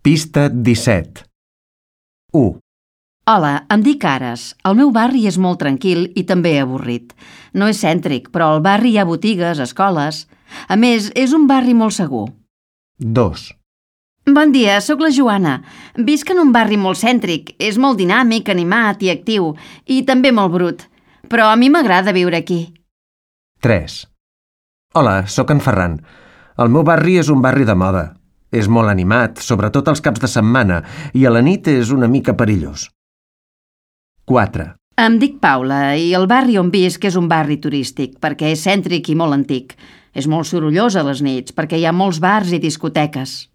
Pista 17. 1. Hola, em dic Ares. El meu barri és molt tranquil i també avorrit. No és cèntric, però al barri hi ha botigues, escoles... A més, és un barri molt segur. 2. Bon dia, sóc la Joana. Visc en un barri molt cèntric. És molt dinàmic, animat i actiu, i també molt brut. Però a mi m'agrada viure aquí. 3. Hola, sóc en Ferran. El meu barri és un barri de moda. És molt animat, sobretot els caps de setmana, i a la nit és una mica perillós. 4. Em dic Paula i el barri on visc és un barri turístic perquè és cèntric i molt antic. És molt sorollós a les nits perquè hi ha molts bars i discoteques.